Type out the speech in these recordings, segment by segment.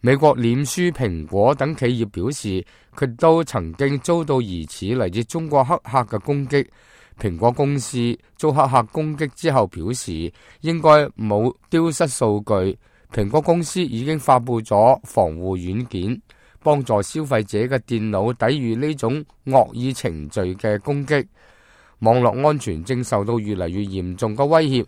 美國臉書、蘋果等企業表示，佢都曾經遭到疑似嚟自中國黑客嘅攻擊。蘋果公司遭黑客攻擊之後表示，應該冇丟失數據。蘋果公司已經發布咗防護軟件，幫助消費者嘅電腦抵禦呢種惡意程序嘅攻擊。網絡安全正受到越嚟越嚴重嘅威脅。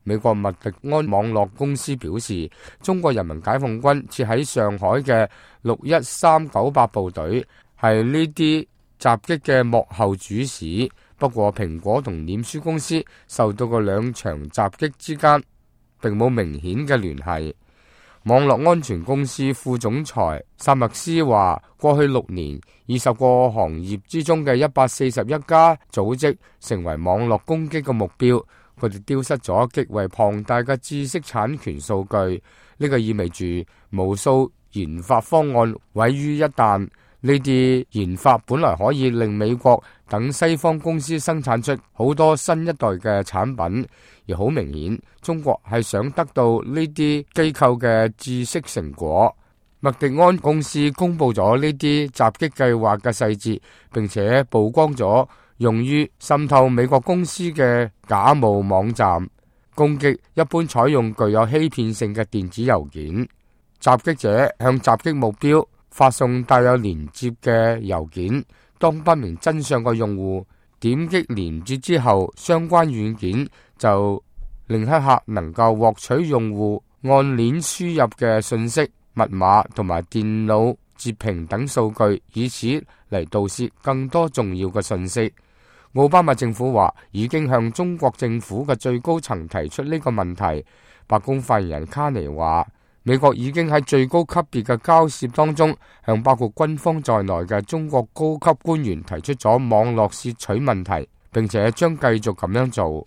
美國麥迪安網絡公司表示，中國人民解放軍設喺上海嘅61398部隊係呢啲襲擊嘅幕後主使。不過，蘋果同臉書公司受到嘅兩場襲擊之間並冇明顯嘅聯繫。網絡安全公司副總裁薩默斯話，過去6年，20個行業之中嘅141家組織成為網絡攻擊嘅目標。佢哋丟失咗極為龐大嘅知識產權數據，呢個意味住無數研發方案毀於一旦。呢啲研發本來可以令美國等西方公司生產出好多新一代嘅產品，而好明顯，中國係想得到呢啲機構嘅知識成果。麥迪安公司公布咗呢啲襲擊計劃嘅細節，並且曝光咗用於滲透美國公司嘅假冒網站。攻擊一般採用具有欺騙性嘅電子郵件，襲擊者向襲擊目標發送帶有連接嘅郵件，當不明真相嘅用戶點擊連接之後，相關軟件就令黑客能夠獲取用戶按鏈輸入嘅信息、密碼同埋電腦截屏等數據，以此嚟盜竊更多重要嘅信息。奧巴馬政府話已經向中國政府嘅最高層提出呢個問題。白宮發言人卡尼話，美國已經喺最高級別嘅交涉當中，向包括軍方在內嘅中國高級官員提出咗網絡竊取問題，並且將繼續咁樣做。